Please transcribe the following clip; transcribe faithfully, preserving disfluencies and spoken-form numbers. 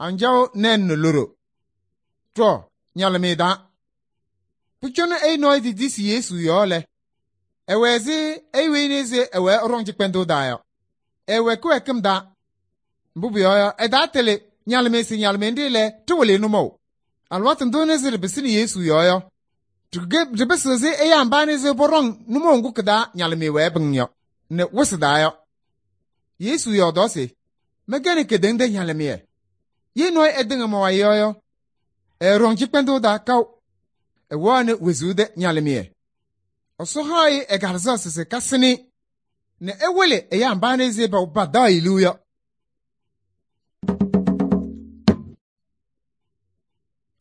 anjaɣ nɛɛn nɛ loɖo. Tɔ, ñalɩmɩyɛ taa. Pʋcɔ ɛyʋ nɔɔyʋ titisi Yesu yɔɔ lɛ, ɛwɛ ɛzɩ ɛyʋ weyi nɛ ɛzɩ ɛwɛɛ ɛɖɔŋ cɩkpɛndʋʋ taa yɔ. Ɛwɛ kɩwɛɛkɩm taa. Mbʋ pʋyɔɔ yɔ, ɛtaatɩlɩ ñalɩmɩyɛ se ñalɩmɩyɛ nɖɩ lɛ, tɩwɩlɩ nʋmɔʋ. Alɩwaatʋ ndʋ nɛ sɩ ɖɩpɩsɩnɩ Yesu yɔɔ yɔ, ɖɩpɩsɩɣ ɛzɩ ɛyaa mba nɛ sɩ pɔɖɔŋ nʋmɔʋ ŋgʋ kɩ-taa ñalɩmɩyɛ wɛɛ pɩŋ yɔ nɛ wɩsɩ taa yɔ. Yesu yɔɔdaɣ se: mɛnkɛnɩ kedeŋa tɛ ñalɩmɩyɛ. Ye nɔɔyʋ ɛtɩŋa ma-wayɩ yɔ yɔ, ɛɛɖɔŋ cɩkpɛndʋʋ taa kaʋ. Ɛwɛɣnɩ wezuu tɛ ñalɩmɩyɛ. Ɛsɔ haɣ-ɩ ɛ-Kalɩzaɣ se sɩ kasɩnɩ nɛ ɛwɩlɩ ɛyaa mba nɛ sɩ padaɣ-ɩ liu yɔ.